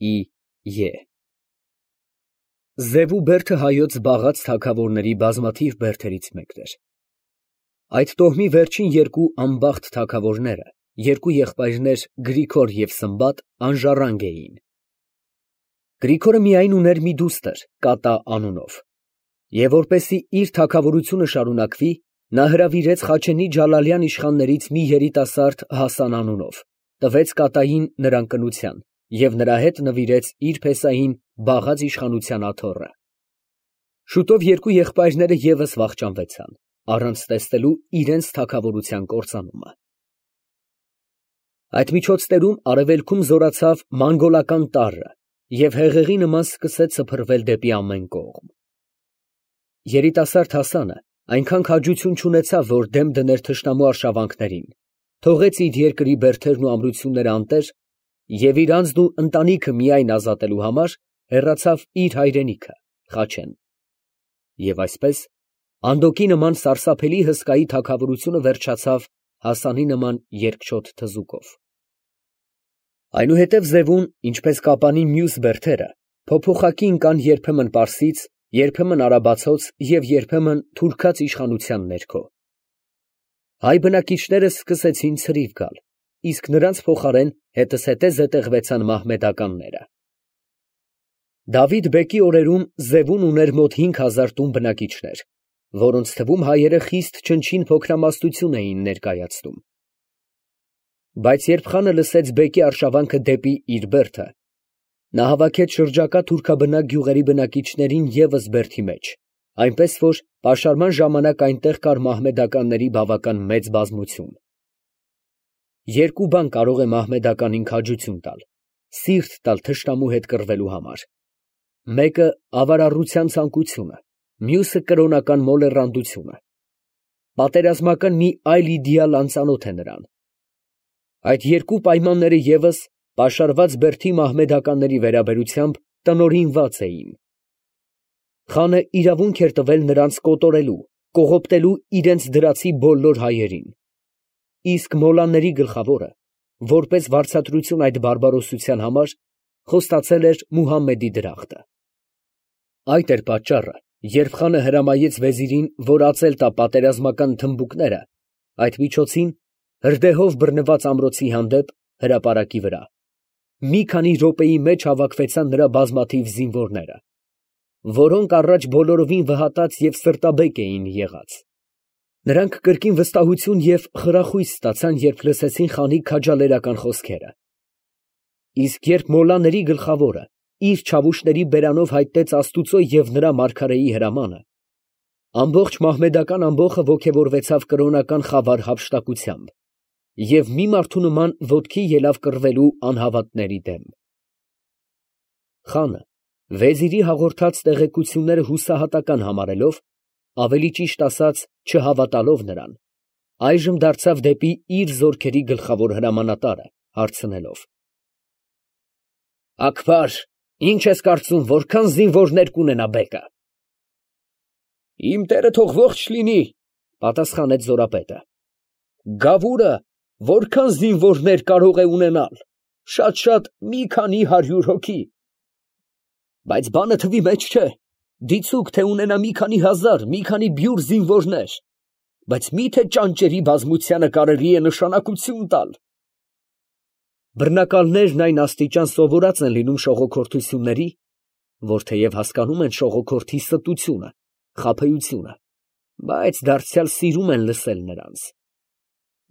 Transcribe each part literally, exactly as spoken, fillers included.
Է. Զևու բերդը հայոց զբաղած թագավորների բազմաթիվ բերդերից մեկն էր։ Այդ տոհմի վերջին երկու անբախտ թագավորները, երկու եղբայրներ Գրիգոր և Սմբատ, անժառանգ էին։ Գրիգորը միայն ուներ մի դուստր Կատա անունով, և որպեսզի իր թագավորությունը շարունակվի, նա հրավիրեց Խաչենի ջալալյան իշխաններից մի երիտասարդ Հասան անունով, տվեց Կատային նրան կնության և նրա հետ նվիրեց իր փեսային բաղած իշխանության աթոռը։ Շուտով երկու եղբայրները ևս վախճանվեցան, առանց տեսնելու իրենց թագավորության կործանումը։ Այդ միջոցներում արևելքում զորացավ մանգոլական տարրը և հեղեղի նման սկսեց սփռվել դեպի ամեն կողմ։ Երիտասարդ Հասանը այնքան քաջություն չունեցավ, որ դեմ դներ թշնամու արշավանքներին, թողեց իր երկրի բերդերն ու ամրությունները անտեր և իր անձն ու ընտանիքը միայն ազատելու համար հեռացավ իր հայրենիքը Խաչեն։ Եվ այսպես Անդոկի նման սարսափելի հսկայի թագավորությունը վերջացավ Հասանի նման երկչոտ թզուկով։ Այնուհետև Զևուն, ինչպես Կապանի մյուս բերդերը, փոփոխակի ընկան երբեմն պարսից, երբեմն արաբացոց և երբեմն թուրքաց իշխանության ներքո։ Հայ բնակիչները սկսեցին ցրիվ գալ, իսկ նրանց փոխարեն հետզհետե զետեղվեցան մահմեդականները։ Դավիթ֊բեկի օրերում Զևուն ուներ մոտ հինգ հազար տուն բնակիչներ, որոնց թվում հայերը խիստ չնչին փոքրամասնություն էին ներկայացնում։ Բայց երբ խանը լսեց բեկի արշավանքը դեպի իր բերդը, նա հավաքեց շրջակա թուրքաբնակ գյուղերի բնակիչներին ևս բերդի մեջ, այնպես որ պաշարման ժամանակ այնտեղ կար մահմեդականների բավական մեծ բազմություն։ Երկու բան կարող է մահմեդականին քաջություն տալ, սիրտ տալ թշնամու հետ կռվելու համար. մեկը ավարառության ցանկությունը, մյուսը կրոնական մոլեռանդությունը։ Պատերազմական մի այլ իդեալ անծանոթ է նրան։ Այդ երկու պայմանները ևս պաշարված բերդի մահմեդականների վերաբերությամբ տնօրինված էին։ Խանը իրավունք էր տվել նրանց կոտորելու, կողոպտելու իրենց դրացի բոլոր հայերին։ Իսկ մոլլաների գլխավորը, որպես վարձատրություն այդ բարբարոսության համար, խոստացել էր Մուհամմեդի դրախտը։ Այդ էր պատճառը, երբ խանը հրամայեց վեզիրին, որ ածել տա պատերազմական թմբուկները, այդ միջոցին հրդեհով բռնված ամրոցի հանդեպ հրապարակի վրա, մի քանի րոպեի մեջ հավաքվեցան նրա բազմաթիվ զինվորները, որոնք առաջ բոլորովին վհատած և սրտաբեկ էին եղած։ Նրանք կրկին վստահություն և խրախույս ստացան, երբ լսեցին խանի քաջալերական խոսքերը։ Իսկ երբ մոլլաների գլխավորը իր չավուշների բերանով հայտնեց Աստուծո և նրա մարգարեի հրամանը, ամբողջ մահմեդական ամբոխը ոգևորվեցավ կրոնական խավար հափշտակությամբ և մի մարդու նման ոտքի ելավ կռվելու անհավատների դեմ։ Խանը վեզիրի հաղորդած տեղեկությունները հուսահատական համարելով, ավելի ճիշտ ասած, չհավատալով նրան, այժմ դարձավ դեպի իր զորքերի գլխավոր հրամանատարը, հարցնելով. Աքբար, ի՞նչ ես կարծում, որքան զինվորներ կունենա բեկը։ Իմ տերը թող ողջ լինի, պատասխանեց զորապետը։ Գավուրը որքան զինվորներ կարող է ունենալ, շատ֊շատ մի քանի հարյուր հոգի։ Բայց բանը թվի մեջ չէ, դիցուք թե ունենա մի քանի հազար, մի քանի բյուր զինվորներ, բայց մի՞թե ճանճերի բազմությանը կարելի է նշանակություն տալ։ Բռնակալներն այն աստիճան սովորած են լինում շողոքորթությունների, որ թեև հասկանում են շողոքորթի ստությունը, խաբեությունը, բայց դարձյալ սիրում են լսել նրանց։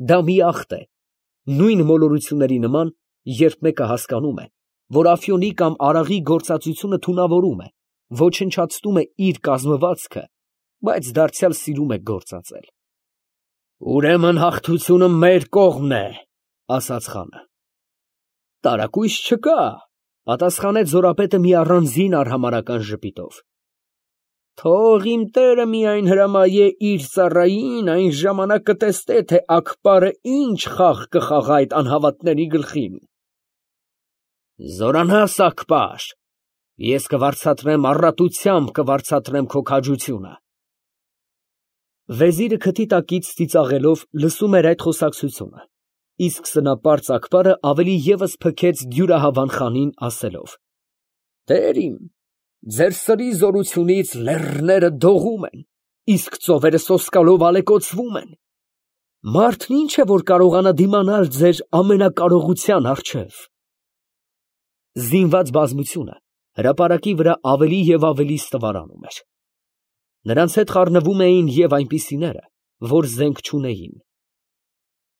Դա մի ախտ է, նույն մոլորությունների նման, երբ մեկը հասկանում է, որ Աֆյոնի կամ Արաղի գործածությունը թունավորում է, ոչնչացնում է իր կազմվածքը, բայց դարձյալ սիրում է գործածել։ Ուրեմն հաղթությունը մեր կողմն է, ասաց խանը։ Տարակույս չկա, պատասխանեց զորապետը մի առանձին արհամարհական ժպիտով։ Թող իմ տերը միայն հրամայե իր ծառային, այն ժամանակ կտեսնե, թե Աքբարը ինչ խաղ կխաղա այդ անհավատների գլխին։ Զորանաս, Աքբար, ես կվարձատրեմ, առատությամբ կվարձատրեմ քո քաջությունը։ Վեզիրը քթի տակից ծիծաղելով լսում էր այդ խոսակցությունը, իսկ սնապարծ Ակբարը ավելի ևս փքեց դյուրահավան խանին, ասելով. «Տեր իմ, ձեր սրի զորությունից լեռները դողում են, իսկ ծովերը սոսկալով ալեկոծվում են. մարդն ինչ է, որ կարողանա դիմանալ ձեր ամենակարողության առջև»։ Զինված բազմությունը հրապարակի վրա ավելի և ավելի ստվարանում էր. նրանց հետ խառնվում էին և այնպիսիները, որ զենք չունեին։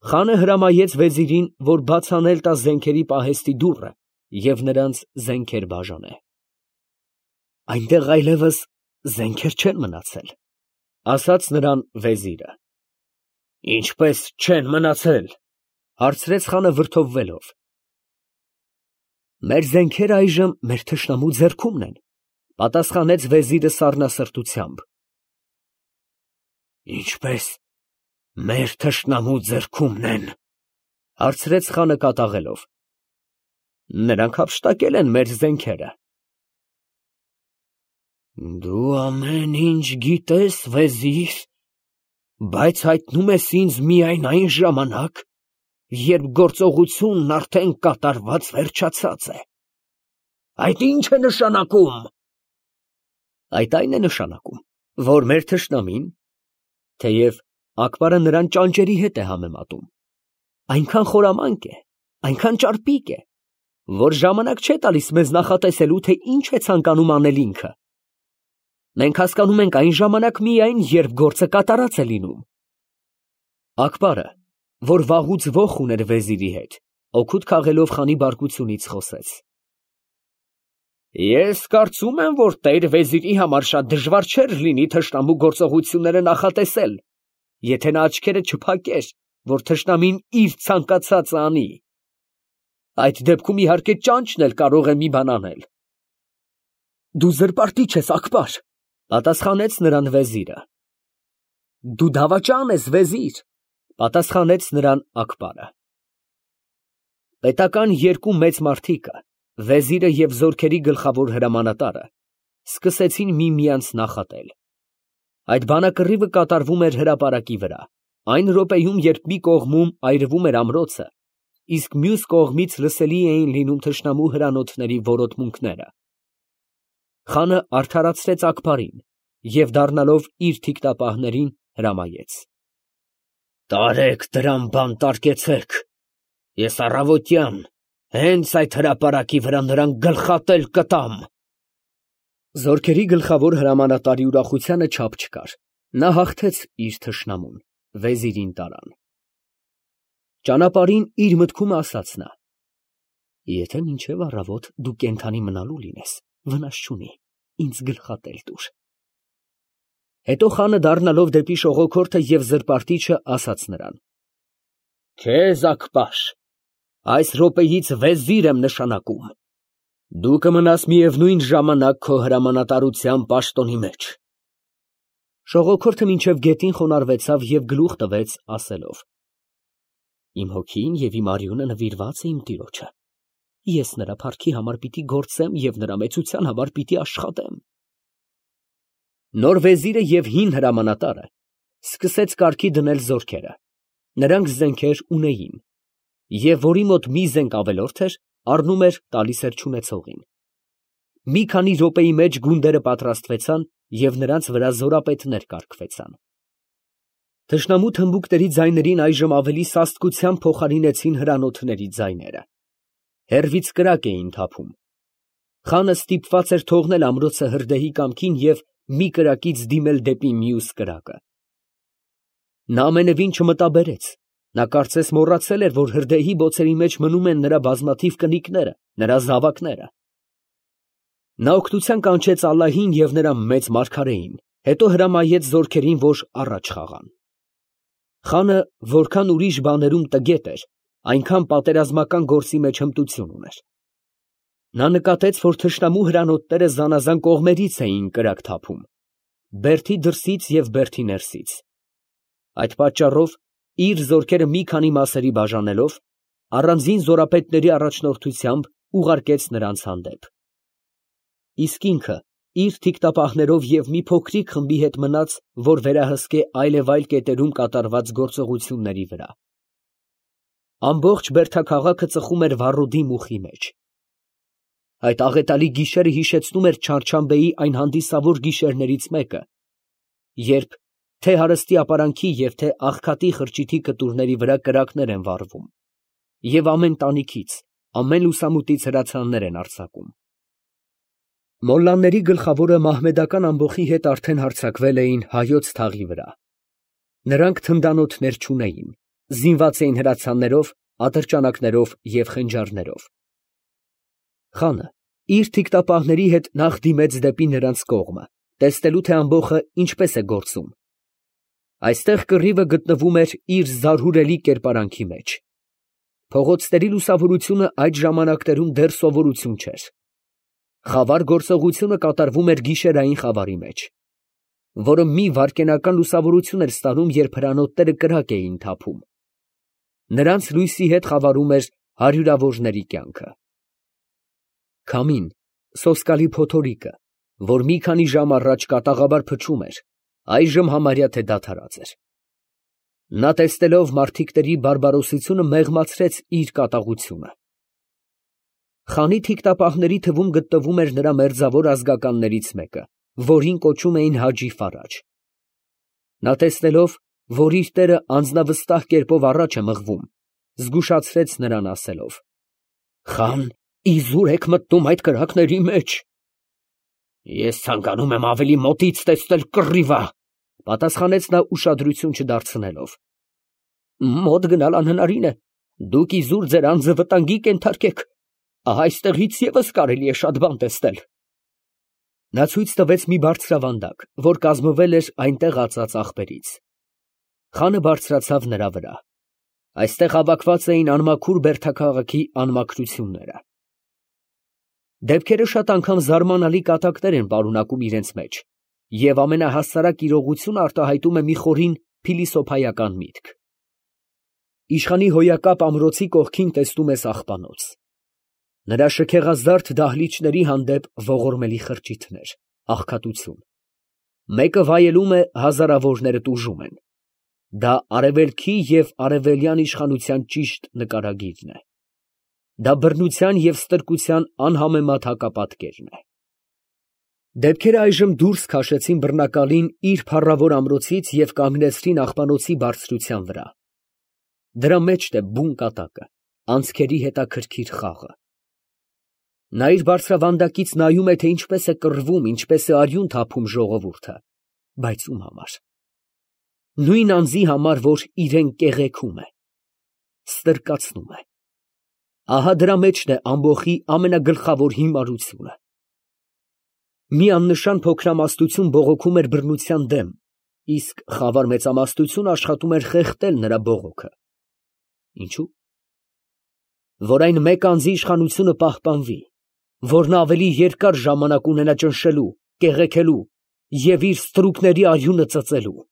Խանը հրամայեց վեզիրին, որ բաց անել տա զենքերի պահեստի դուռը և նրանց զենքեր բաժանե։ «Այնտեղ այլևս զենքեր չեն մնացել», ֊ ասաց նրան վեզիրը։ «Ինչպես չեն մնացել, ֊ հարցրեց խանը վրդովվելով։ «Մեր զենքերը այժմ մեր թշնամու ձեռքումն են», ֊ պատասխանեց վեզիրը սառնասրտությամբ։ «Ինչպես մեր թշնամու ձեռքումն են, ֊ հարցրեց խանը կատաղելով։ «Նրանք հափշտակել են մեր զենքերը»։ «Դու ամեն ինչ գիտես, վեզիր, բայց հայտնում ես ինձ միայն այն ժամանակ, երբ գործողությունն արդեն կատարված վերջացած է։ Այդ ի՞նչ է նշանակում»։ «Այդ այն է նշանակում, որ մեր թշնամին, թեև Ակբարը նրան ճանճերի հետ է համեմատում, այնքան խորամանկ է, այնքան ճարպիկ է, որ ժամանակ չէ տալիս մեզ նախատեսելու, թե ինչ է ցանկանում անել ինքը։ Մենք հասկանում ենք այն ժամանակ միայն, երբ գործը կատարած է լինում»։ Ակբարը, որ վաղուց ոխ ուներ վեզիրի հետ, օգուտ քաղելով խանի բարկությունից, խոսեց. «Ես կարծում եմ, որ տեր֊վեզիրի համար շատ դժվար չէր լինի թշնամու գործողությունները նախատեսել, եթե նա աչքերը չփակեր, որ թշնամին իր ցանկացածը անի։ Այդ դեպքում, իհարկե, ճանճն էլ կարող է մի բան անել»։ «Դու զրպարտիչ ես, Ակբար, ֊ պատասխանեց նրան վեզիրը։ «Դու դավաճան ես, վեզիր, ֊ պատասխանեց նրան Ակբարը։ Պետական երկու մեծ մարդիկը, վեզիրը և զորքերի գլխավոր հրամանատարը, սկսեցին միմյանց նախատել։ Այդ բանակռիվը կատարվում էր հրապարակի վրա, այն րոպեում, երբ մի կողմում այրվում էր ամրոցը, իսկ մյուս կողմից լսելի էին լինում թշնամու հրանոթների որոտմունքները։ Խանը արդարացրեց Ակբարին և, դառնալով իր թիկնապահներին, հրամայեց. «Տարեք դրամ բանտարկեցեք, ես առավոտյան հենց այդ հրապարակի վրա նրան գլխատել կտամ»։ Զորքերի գլխավոր հրամանատարի ուրախությանը չափ չկար. նա հաղթեց իր թշնամուն, վեզիրին տարան։ Ճանապարհին իր մտքում ասաց նա. «Եթե մինչև առավոտ դու կենդանի մնալու լինես, վնաս չունի, ինձ գլխատել տուր»։ Հետո խանը, դառնալով դեպի շողոքորթը և զրպարտիչը, ասաց նրան. «Քեզ, Ակբար, այս րոպեից վեզիր եմ նշանակում, դու կմնաս միևնույն ժամանակ քո հրամանատարության պաշտոնի մեջ»։ Շողոքորթը մինչև գետին խոնարհվեցավ և գլուխ տվեց, ասելով. «Իմ հոգին և իմ արյունը նվիրված է իմ տիրոջը, ես նրա փառքի համար պիտի գործեմ և նրա մեծության համար պիտի աշխատեմ»։ Նոր վեզիրը և հին հրամանատարը սկսեց կարգի դնել զորքերը, նրանք զենքեր ունեին, և որի մոտ մի զենք ավելորդ էր, առնում էր, տալիս էր չունեցողին։ Մի քանի րոպեի մեջ գունդերը պատրաստվեցան և նրանց վրա զորապետներ կարգվեցան։ Թշնամու թմբուկների ձայներին այժմ ավելի սաստկությամբ փոխարինեցին հրանոթների ձայները։ Հեռվից կրակ էին թափում։ Խանը ստիպված էր թողնել ամրոցը հրդեհի կամքին և մի կրակից դիմել դեպի մյուս կրակը։ Նա ամենևին չմտաբերեց, նա կարծես մոռացել էր, որ հրդեհի բոցերի մեջ մնում են նրա բազմաթիվ կնիկները, նրա զավակները։ Նա օգնության կանչեց ալլահին և նրա մեծ մարգարեին, հետո հրամայեց զորքերին, որ առաջ խաղան։ Խանը որքան ուրիշ բաներում տգետ էր, այնքան պատերազմական գործի մեջ հմտություն ուներ։ Նա նկատեց, որ թշնամու հրանոթները զանազան կողմերից էին կրակ թափում, բերդի դրսից և բերդի ներսից։ Այդ պատճառով, իր զորքերը մի քանի մասերի բաժանելով, առանձին զորապետների առաջնորդությամբ ուղարկեց նրանց հանդեպ։ Իսկ ինքը իր թիկնապահներով և մի փոքրիկ խմբի հետ մնաց, որ վերահսկե այլևայլ կետերում կատարված գործողությունների վրա։ Ամբողջ Բերդաքաղաքը ծխում էր վառոդի մուխի մեջ։ Այդ աղետալի գիշերը հիշեցնում էր Չարչամբեի այն հանդիսավոր գիշերներից մեկը, երբ թե հարստի ապարանքի և թե աղքատի խրճիթի կտուրների վրա կրակներ են վառվում, և ամեն տանիքից, ամեն լուսամուտից հրացաններ են արձակում։ Մոլլաների գլխավորը մահմեդական ամբոխի հետ արդեն հարձակվել էին հայոց թաղի վրա։ Նրանք թնդանոթներ չունեին, զինված էին հրացաններով, ատրճանակներով և խենջարներով։ Խանը իր թիկտապահների հետ նախ դիմեց դեպի նրանց կողմը, տեսնելու թե ամբոխը ինչպես է գործում։ Այստեղ կռիվը գտնվում էր իր զարհուրելի կերպարանքի մեջ։ Փողոցների լուսավորությունը այդ ժամանակներում դեռ սովորություն չէր։ Խավար գործողությունը կատարվում էր գիշերային խավարի մեջ, որը մի վայրկենական լուսավորություն էր ստանում, երբ հրանոթները կրակ էին թափում։ Նրանց լույսի հետ խավարում էր հարյուրավորների կյանքը։ Քամին, սոսկալի փոթորիկը, որ մի քանի ժամ առաջ կատաղաբար փչում էր, այժմ համարյա թե դադարած էր։ Նա տեսնելով մարդիկների բարբարոսությունը մեղմացրեց իր կատաղությունը։ Խանի թիկտապահների թվում գտնվում էր նրա մերձավոր ազգականներից մեկը, որին կոչում էին Հաջի Ֆարաջ։ Նա տեսնելով, որ իր տերը անձնավստահ կերպով առաջ է մղվում, զգուշացրեց նրան ասելով. «Խան, իզուր եք մտնում այդ կրակների մեջ»։ «Ես ցանկանում եմ ավելի մոտից տեսնել կռիվը», պատասխանեց նա ուշադրություն չդարձնելով։ «Մոտ գնալ անհնարին է, դուք իզուր ձեր անձը վտանգի կենթարկեք, ահա այստեղից ևս կարելի է շատ բան տեսնել»։ Նա ցույց տվեց մի բարձրավանդակ, որ կազմվել էր այնտեղ ածած աղբերից։ Խանը բարձրացավ նրա վրա։ Այստեղ հավաքված էին անմաքուր Բերդաքաղաքի անմաքրությունները։ Դեպքերը շատ անգամ զարմանալի կատակներ են պարունակում իրենց մեջ, և ամենահասարակ իրողությունը արտահայտում է մի խորին փիլիսոփայական միտք։ Իշխանի հոյակապ ամրոցի կողքին տեսնում ես աղբանոց։ Նրա շքեղազարդ դահլիճների հանդեպ ողորմելի խրճիթներ, աղքատություն։ Մեկը վայելում է, հազարավորները տուժում են։ Դա արևելքի և արևելյան իշխանության ճիշտ նկարագիրն է։ Դա բռնության և ստրկության անհամեմատ հակապատկերն է։ Դեպքերը այժմ դուրս քաշեցին բռնակալին իր փառավոր ամրոցից և կանգնեցրին աղբանոցի բարձրության վրա։ Դրա մեջն է բուն կատակը, անցքերի հետաքրքիր խաղը։ Նա իր բարձրավանդակից նայում է, թե ինչպես է կռվում, ինչպես է արյուն թափում ժողովուրդը, բայց ում համար։ Նույն անձի համար, որ իրան կեղեքում է, ստրկացնում է։ Ահա դրա մեջն է ամբոխի ամենագլխավոր հիմարությունը։ Մի աննշան փոքրամասնություն բողոքում էր բռնության դեմ, իսկ խավար մեծամասնությունը աշխատում էր խեղդել նրա բողոքը։ Ինչո՞ւ։ Որ այն մեկ անձի իշխանությունը պահպանվի, որ նա ավելի երկար ժամանակ ունենա ճնշելու, կեղեքելու և իր ստրուկների արյունը ծծելու։